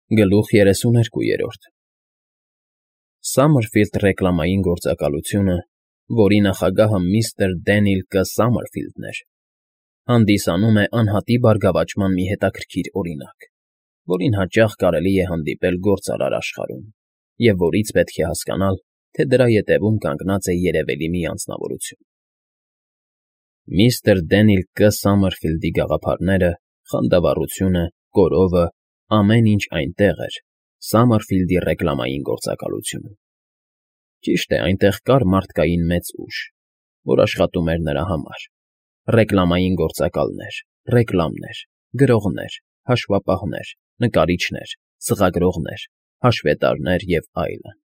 Գլուխ 32 Սամմերֆիլդ ռեկլամային գործակալությունը, որի նախագահը միստր Դենիլ Կ. Սամմերֆիլդն էր, հանդիսանում է անհատի բարգավաճման մի հետաքրքիր օրինակ, որին հաճախ կարելի է հանդիպել գործարար աշխարհում, և որից պետք է հասկանալ, թե դրա ետևում կանգնած է երևելի մի անձնավորություն։ Միստր Դենիլ Կ. Սամմերֆիլդի գաղափարները, խանդավառությունը, կորովը, ամեն ինչ այնտեղ էր Սամմերֆիլդի ռեկլամային գործակալությունում։ Ճիշտ է, այնտեղ կար մարդկային մեծ ուժ, որ աշխատում էր նրա համար. ռեկլամային գործակալներ, ռեկլամներ, գրողներ, հաշվապահներ, նկարիչներ, ծրագրողներ, հաշվետարներ և այլն։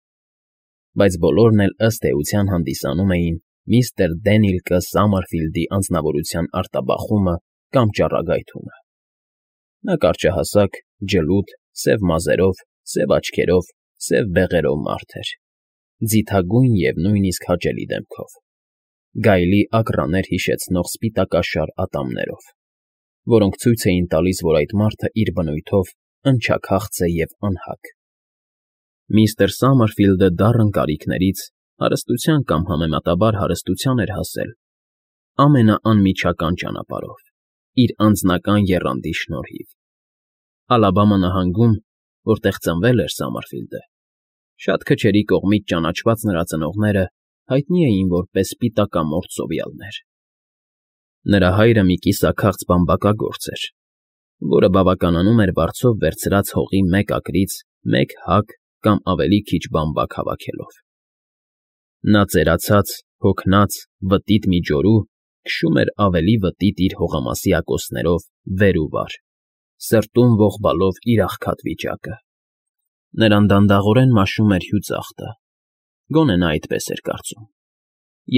Բայց բոլորն էլ ըստ էության հանդիսանում էին միստր Դենիլ Կ. Սամմերֆիլդի անձնավորության արտաբախումը կամ ճառագայթումը։ Նա կարճահասակ, ջլուդ, սև մազերով, սև աչքերով, սև բեղերով մարդ էր, ձիթագույն և նույնիսկ հաճելի դեմքով, գայլի ակռաներ հիշեցնող սպիտակաշար ատամներով, որոնք ցույց էին տալիս, որ այդ մարդը իր բնույթով ընչաքաղց է և անհագ։ Միստր Սամմերֆիլդը դառն կարիքներից հարստության կամ համեմատաբար հարստության էր հասել ամենաանմիջական ճանապարհով, իր անձնական եռանդի շնորհիվ։ Ալաբամա նահանգում, որտեղ ծնվել էր Սամմերֆիլդը, շատ քչերի կողմից ճանաչված նրա ծնողները հայտնի էին որպես սպիտակամորթ ծովյալներ։ Նրա հայրը մի կիսաքաղց բամբակագործ էր, որը բավականանում էր վարձով վերցրած հողի մեկ ակրից մեկ հակ կամ ավելի քիչ բամբակ հավաքելով։ Նա ծերացած, հոգնած, վտիտ մի ջորու քշում էր ավելի վտիտ իր հողամասի ակոսներով վեր ու վար, սրտում ողբալով իր աղքատ վիճակը։ Նրան դանդաղորեն մաշում էր հյուծախտը, գոնե նա այդպես էր կարծում,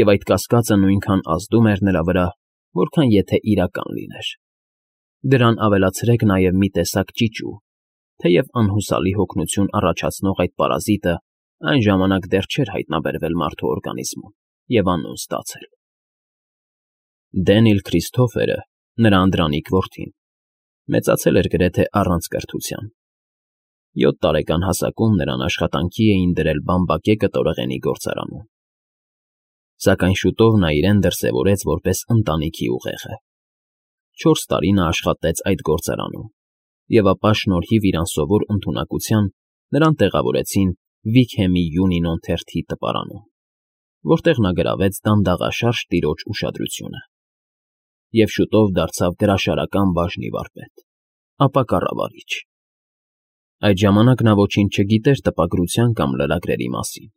և այդ կասկածը նույնքան ազդում էր նրա վրա, որքան եթե իրական լիներ։ Դրան ավելացրեք նաև մի տեսակ ճիճու, թեև անհուսալի հոգնություն առաջացնող այդ պարազիտը այն ժամանակ դեռ չէր հայտնաբերվել մարդու օրգանիզմում և անուն ստացել։ Դենիլ Քրիսթոֆերը, նրա անդրանիկ որդին, մեծացել էր գրեթե առանց կրթության։ 7 տարեկան հասակում նրան աշխատանքի էին դրել բամբակե կտորեղենի գործարանում։ Սակայն շուտով նա իրեն դրսևորեց որպես ընտանիքի ուղեղը։ 4 տարի նա աշխատեց այդ գործարանում, և ապա շնորհիվ իր անսովոր ընդունակության նրան տեղավորեցին Վիքհեմի Յունինոն թերթի տպարանում, որտեղ նա գրավեց դանդաղաշարժ տիրոջ ուշադրությունը և շուտով դարձավ գրաշարական բաժնի վարպետ, ապա կառավարիչ։ Այդ ժամանակ նա ոչինչ չգիտեր տպագրության կամ լրագրերի մասին,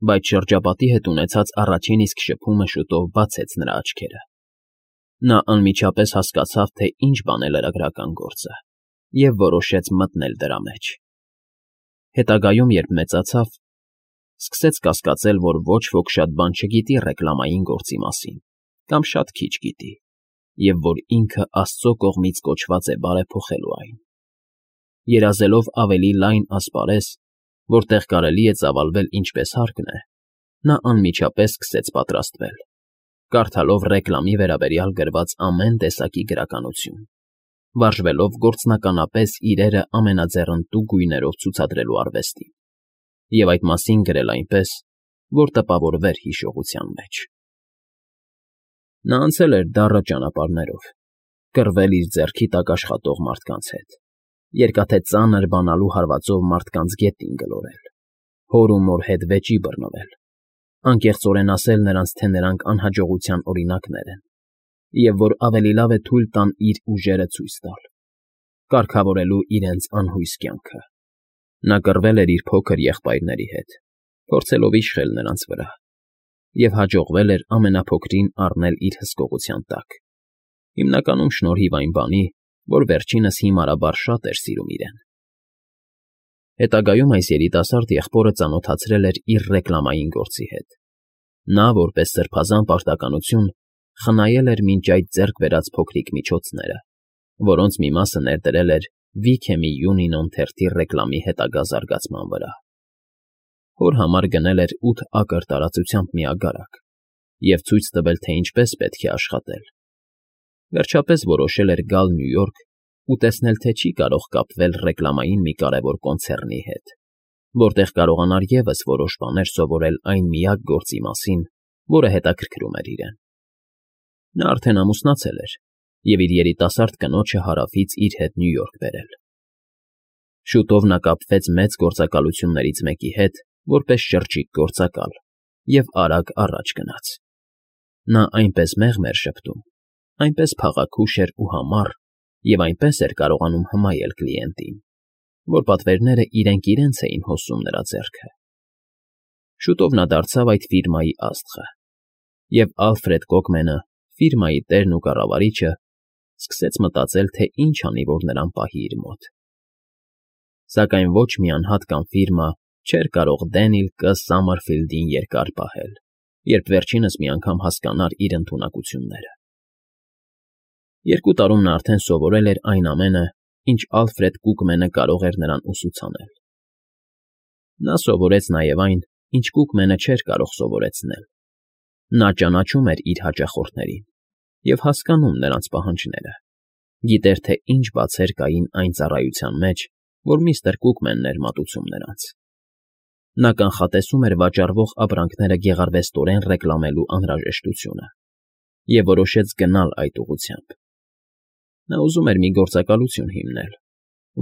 բայց շրջապատի հետ ունեցած առաջին իսկ շփումը շուտով բացեց նրա աչքերը։ Նա անմիջապես հասկացավ, թե ինչ բան է լրագրական գործը, և որոշեց մտնել դրա մեջ։ Հետագայում, երբ մեծացավ, սկսեց կասկածել, որ ոչ ոք շատ բան չգիտի ռեկլամային գործի մասին կամ շատ քիչ գիտի, և որ ինքը Աստծո կողմից կոչված է բարեփոխելու այն։ Երազելով ավելի լայն ասպարեզ, որտեղ կարելի է ծավալվել ինչպես հարկն է, նա անմիջապես սկսեց պատրաստվել, կարդալով ռեկլամի վերաբերյալ գրված ամեն տեսակի գրականություն, վարժվելով գործնականապես իրերը ամենաձեռնտու գույներով ցուցադրելու արվեստին, և այդ մասին գրել այնպես, որ տպավորվեր հիշողության մեջ։ Նա անցել էր դառը ճանապարհներով, կռվել իր ձեռքի տակ աշխատող մարդկանց հետ, երկաթե ծանր բանալու հարվածով մարդկանց գետին գլորել, հոր ու մոր հետ վեճի բռնվել, անկեղծորեն ասել նրանց, թե նրանք անհաջողության օրինակներ են, և որ ավելի լավ է թույլ տան իր ուժերը ցույց տալ, կարգավորելու իրենց անհույս կյանքը։ Նա կռվել էր իր փոքր եղբայրների հետ, փորձելով իշխել նրանց վրա, և հաջողվել էր ամենափոքրին առնել իր հսկողության տակ, հիմնականում շնորհիվ այն բանի, որ վերջինս հիմարաբար շատ էր սիրում իրեն։ Հետագայում այս երիտասարդ եղբորը ծանոթացրել էր իր ռեկլամային գործի հետ։ Նա, որպես սրբազան պարտականություն, խնայել էր մինչ այդ ձեռք բերած փոքրիկ միջոցները, որոնց մի մասը ներդրել էր Վիքհեմի Յունինոն թերթի ռեկլամի հետագա զարգացման վրա։ Հոր համար գնել էր 8 ակր տարածությամբ մի ագարակ և ցույց տվել, թե ինչպես պետք է աշխատել։ Վերջապես որոշել էր գալ Նյու Յորք ու տեսնել, թե չի կարող կապվել ռեկլամային մի կարևոր կոնցեռնի հետ, որտեղ կարողանար ևս որոշ բաներ սովորել այն միակ գործի մասին, որը հետաքրքրում էր իրեն։ Նա արդեն ամուսնացել էր և իր երիտասարդ կնոջը Հարավից իր հետ Նյու Յորք բերել։ Շուտով նա կապվեց մեծ գործակալություններից մեկի հետ որպես շրջիկ գործակալ և արագ առաջ գնաց։ Նա այնպես մեղմ էր շփտում, այնպես փաղաքուշ էր ու համառ և այնպես էր կարողանում հմայել կլիենտին, որ պատվերները իրենք էին հոսում նրա ձեռքը։ Շուտով նա դարձավ այդ ֆիրմայի աստղը, և Ալֆրեդ Կոկմենը, ֆիրմայի տերն ու կառավարիչը, սկսեց մտածել, թե ինչ անի, որ նրան պահի իր մոտ։ Սակայն ոչ մի անհատ կամ ֆիրմա չէր կարող Դենիլ Կ. Սամմերֆիլդին երկար պահել, երբ վերջինս մի անգամ հասկանար իր ընդունակությունները։ 2 տարում նա արդեն սովորել էր այն ամենը, ինչ Ալֆրեդ Կուկմենը կարող էր նրան ուսուցանել։ Նա սովորեց նաև այն, ինչ Կուկմենը չէր կարող սովորեցնել։ Նա ճանաչում էր իր հաճախորդներին և հասկանում նրանց պահանջները, գիտեր, թե ինչ բացեր կային այն ծառայության մեջ, որ միստր Կուկմենն էր մատուցում նրանց։ Նա կանխատեսում էր վաճառվող ապրանքները գեղարվեստորեն ռեկլամելու անհրաժեշտությունը և որոշեց գնալ այդ ուղղությամբ։ Նա ուզում էր մի գործակալություն հիմնել,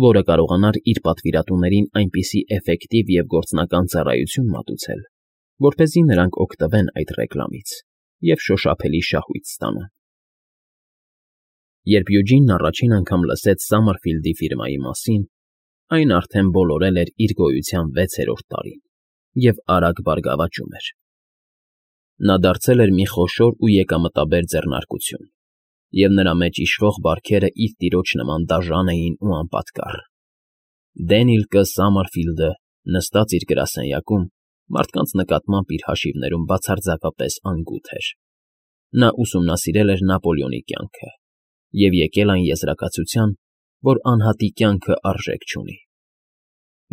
որը կարողանար իր պատվիրատուներին այնպիսի էֆեկտիվ և գործնական ծառայություն մատուցել, որպեսզի նրանք օգտվեն այդ ռեկլամից և շոշափելի շահույթ ստանան։ Երբ Յուջինն առաջին անգամ լսեց Սամմերֆիլդի ֆիրմայի մասին, այն արդեն բոլորել էր իր գոյության 6-րդ տարին և արագ բարգավաճում էր։ Նա դարձել էր մի խոշոր ու եկամտաբեր ձեռնարկություն, և նրա մեջ իշխող բարքերը իր տիրոջ նման դաժան էին ու անպատկառ։ Դենիլ Կ. Սամմերֆիլդը նստած իր գրասենյակում մարդկանց նկատմամբ իր հաշիվներում բացարձակապես անգութ էր։ Նա ուսումնասիրել էր Նապոլեոնի կյանքը և եկել այն եզրակացության, որ անհատի կյանքը արժեք չունի։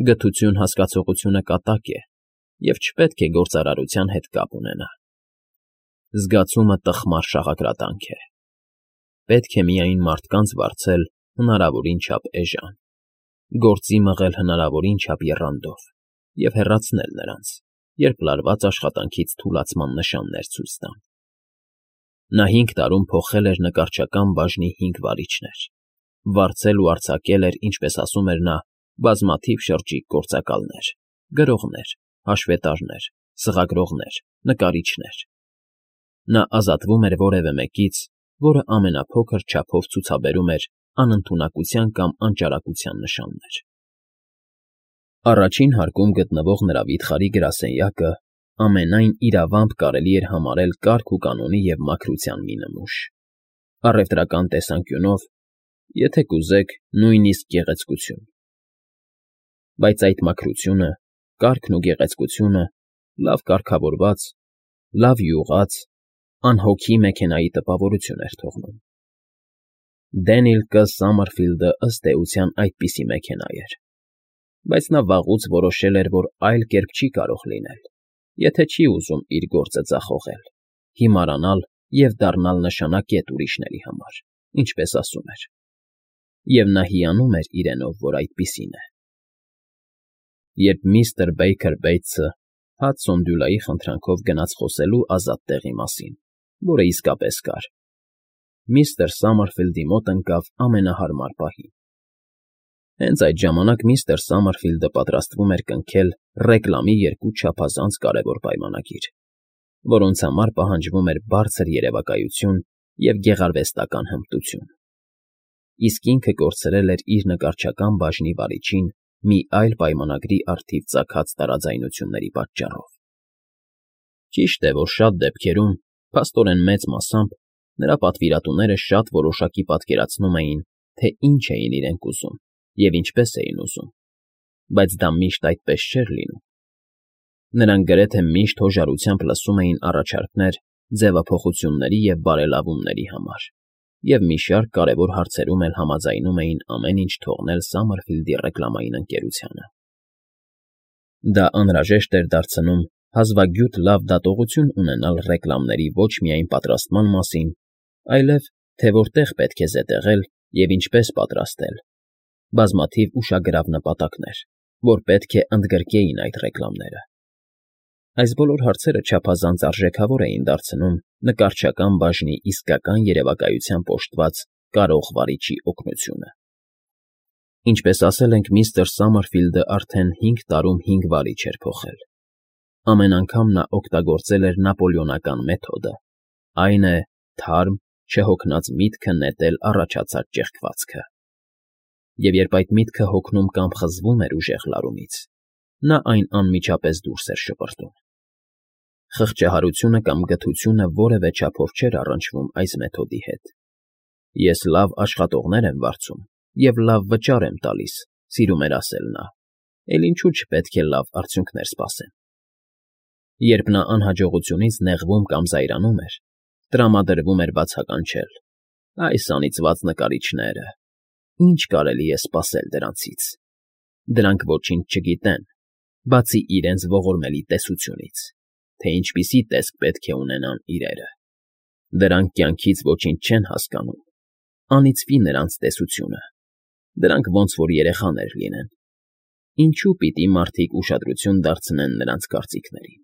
Գթություն հասկացողությունը կատակ է և չպետք է գործարարության հետ կապ ունենա։ Զգացումը տխմար շաղակրատանք է։ Պետք է միայն մարդկանց վարձել հնարավորին չափ էժան, գործի մղել հնարավորին չափ եռանդով և հեռացնել նրանց, երբ լարված աշխատանքից թուլացման նշաններ ցույց տան։ Նա 5 տարում փոխել էր նկարչական բաժնի 5 վարիչներ, վարձել ու արձակել էր, ինչպես ասում էր նա, բազմաթիվ շրջիկ գործակալներ, գրողներ, հաշվետարներ, սղագրողներ, նկարիչներ։ Նա ազատվում էր որևէ մեկից, որը ամենափոքր չափով ցուցաբերում էր անընդունակության կամ անճարակության նշաններ։ Առաջին հարկում գտնվող նրա վիթխարի գրասենյակը ամենայն իրավամբ կարելի էր համարել կարգ ու կանոնի և մաքրության մի նմուշ։ Առևտրական տեսանկյունով, եթե կուզեք, նույնիսկ գեղեցկություն։ Բայց այդ մաքրությունը, կարգն ու գեղեցկությունը լավ կարգավորված, լավ յուղած, անհոգի մեքենայի տպավորություն էր թողնում։ Դենիլ Կ. Սամմերֆիլդը ըստ էության այդպիսի մեքենա էր, բայց նա վաղուց որոշել էր, որ այլ կերպ չի կարող լինել, եթե չի ուզում իր գործը ձախողել, հիմարանալ և դառնալ նշանակետ ուրիշների համար, ինչպես ասում էր։ Եվ նա հիանում էր իրենով, որ այդպիսին է։ Երբ միստր Բեյքեր Բեյթսը Հադսոն Դյուլայի խնդրանքով գնաց խոսելու ազատ տեղի մասին, որը իսկապես կար, միստր Սամմերֆիլդի մոտ ընկավ ամենահարմար պահին։ Հենց այդ ժամանակ միստր Սամմերֆիլդը պատրաստվում էր կնքել ռեկլամի 2 չափազանց կարևոր պայմանագիր, որոնց համար պահանջվում էր բարձր երևակայություն և գեղարվեստական հմտություն։ Իսկ ինքը կորցրել էր իր նկարչական բաժնի վարիչին մի այլ պայմանագրի առթիվ ծագած տարաձայնությունների պատճառով։ Ճիշտ է, որ շատ դեպքերում, փաստորեն մեծ մասամբ, նրա պատվիրատուները շատ որոշակի պատկերացնում էին, թե ինչ էին իրենք ուզում և ինչպես էին ուզում, բայց դա միշտ այդպես չէր լինում։ Նրանք գրեթե միշտ հոժարությամբ լսում էին առաջարկներ ձևափոխությունների և բարելավումների համար և մի շարք կարևոր հարցերում էլ համաձայնում էին ամեն ինչ թողնել Սամմերֆիլդի ռեկլամային ընկերությանը։ Դա անհրաժեշտ էր դարձնում հազվագյուտ լավ դատողություն ունենալ ռեկլամների ոչ միայն պատրաստման մասին, այլև թե որտեղ պետք է զետեղել Եվ ինչպես պատրաստել, բազմաթիվ ուշագրավ նպատակներ, որ պետք է ընդգրկեին այդ ռեկլամները։ Այս բոլոր հարցերը չափազանց արժեքավոր էին դարձնում նկարչական բաժնի իսկական երևակայությամբ օժտված կարող վարիչի օգնությունը։ Ինչպես ասել ենք, միստր Սամարֆիլդը արդեն 5 տարում 5 վարիչ էր փոխել։ Ամեն անգամ նա օգտագործել էր նապոլեոնական մեթոդը, այն է, թարմ, չհոգնած միտքը նետել առաջացած ճեղքվածքը։ Եվ երբ այդ միտքը հոգնում կամ խզվում էր ուժեղ լարումից, նա այն անմիջապես դուրս էր շպրտում։ Խղճահարությունը կամ գթությունը որևէ չափով չէր առնչվում այս մեթոդի հետ։ Ես լավ աշխատողներ եմ վարձում և լավ վճար եմ տալիս, սիրում էր ասել նա, էլ ինչու չպետք է լավ արդյունքներ սպասեմ։ Երբ նա անհաջողությունից նեղվում կամ զայրանում էր, տրամադրվում էր բացականչել. այս անիծված նկարիչները, ինչ կարելի է սպասել դրանցից։ Դրանք ոչինչ չգիտեն, բացի իրենց ողորմելի տեսությունից, թե ինչպիսի տեսք պետք է ունենան իրերը։ Դրանք կյանքից ոչինչ չեն հասկանում, անիծվի նրանց տեսությունը, դրանք ոնց որ երեխաներ լինեն։ Ինչու պիտի մարդիկ ուշադրություն դարձնեն նրանց կարծիքներին։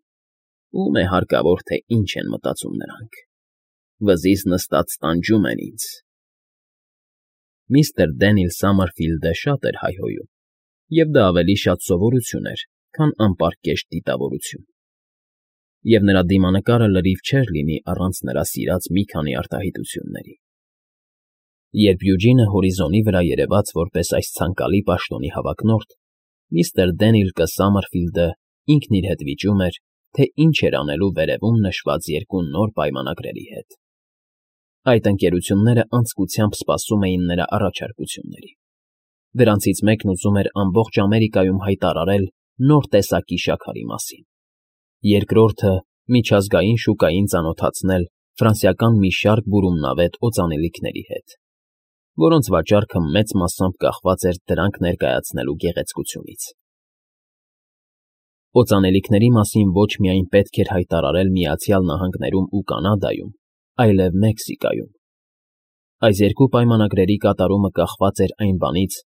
Ում է հարկավոր, թե ինչ են մտածում նրանք։ Վզից նստած տանջում են ինձ։ Միստր Դենիլ Սամարֆիլդը շատ էր հայհոյում, և դա ավելի շատ սովորություն էր, քան անպարկեշտ դիտավորություն։ Եվ նրա դիմանկարը լրիվ չէր լինի առանց նրա սիրած մի քանի արտահայտությունների։ Երբ Յուջինը հորիզոնի վրա երևաց որպես այս ցանկալի պաշտոնի հավակնորդ, միստր Դենիլը Սամարֆիլդը ինքն իր հետ վիճում էր, թե ինչ էր անելու վերևում նշված երկու նոր պայմանագրերի հետ։ Այդ ընկերությունները անձկությամբ սպասում էին նրա առաջարկությունների։ Դրանցից մեկն ուզում էր ամբողջ Ամերիկայում հայտարարել նոր տեսակի շաքարի մասին։ Երկրորդը միջազգային շուկային ծանոթացնել ֆրանսիական մի շարք բուրումնավետ օծանելիքների հետ, որոնց վաճառքը մեծ մասամբ կախված էր դրանք ներկայացնելու գեղեցկությունից։ Օծանելիքների մասին ոչ միայն պետք էր հայտարարել Միացյալ Նահանգներում ու Կանադայում, այլև Մեքսիկայում։ Այս երկու պայմանագրերի կատարումը կախված էր այն բանից,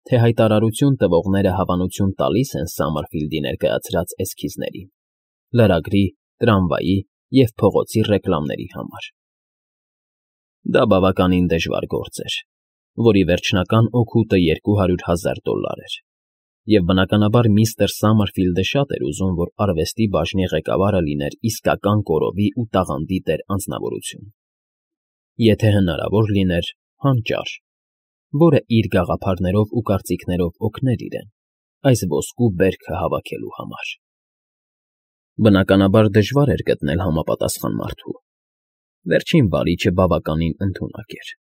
թե հայտարարություն տվողները հավանություն տալիս են Սամարֆիլդի ներկայացրած էսքիզներին, լրագրի, տրամվայի և փողոցի ռեկլամների համար։ Դա բավականին դժվար գործ էր, որի վերջնական օգուտը $200,000 էր, և բնականաբար միստր Սամարֆիլդը շատ էր ուզում, որ արվեստի բաժնի ղեկավարը լիներ իսկական կորովի ու տաղանդի տեր անձնավորություն։ Եթե հնարավոր լիներ, հանճար, որը իր գաղափարներով ու կարծիքներով օգներ իրեն այս ոսկու բերքը հավաքելու համար։ Բնականաբար դժվար էր գտնել համապատասխան մարդու։ Վերջին վարիչը բավականին ընդունակ էր։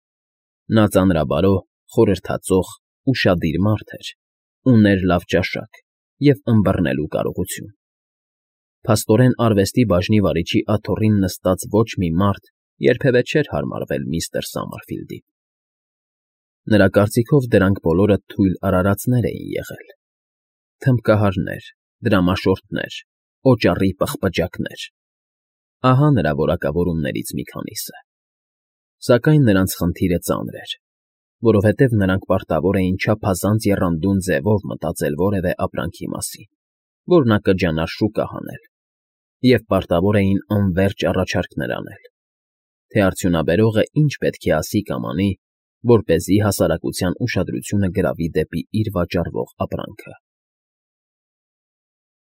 Նա ծանրաբարո, խորհրդածող, ուշադիր մարդ էր, ուներ լավ ճաշակ և ըմբռնելու կարողություն։ Փաստորեն արվեստի բաժնի վարիչի աթոռին նստած ոչ մի մարդ երբևէ չէր հարմարվել միստր Սամարֆիլդին։ Նրա կարծիքով դրանք բոլորը թույլ արարածներ էին եղել։ Թմբկահարներ, դրամաշորթներ, օճառի պղպջակներ։ Ահա նրա որակավորումներից մի քանիսը։ Սակայն նրանց խնդիրը ծանր էր, որովհետև նրանք պարտավոր էին չափազանց եռանդուն ձևով մտածել որևէ ապրանքի մասին, որ նա կջանար շուկա հանել, և պարտավոր էին անվերջ առաջարկներ անել, թե արդյունաբերողը ինչ պետք է ասի կամ անի, որպեսզի հասարակության ուշադրությունը գրավի դեպի իր վաճառվող ապրանքը։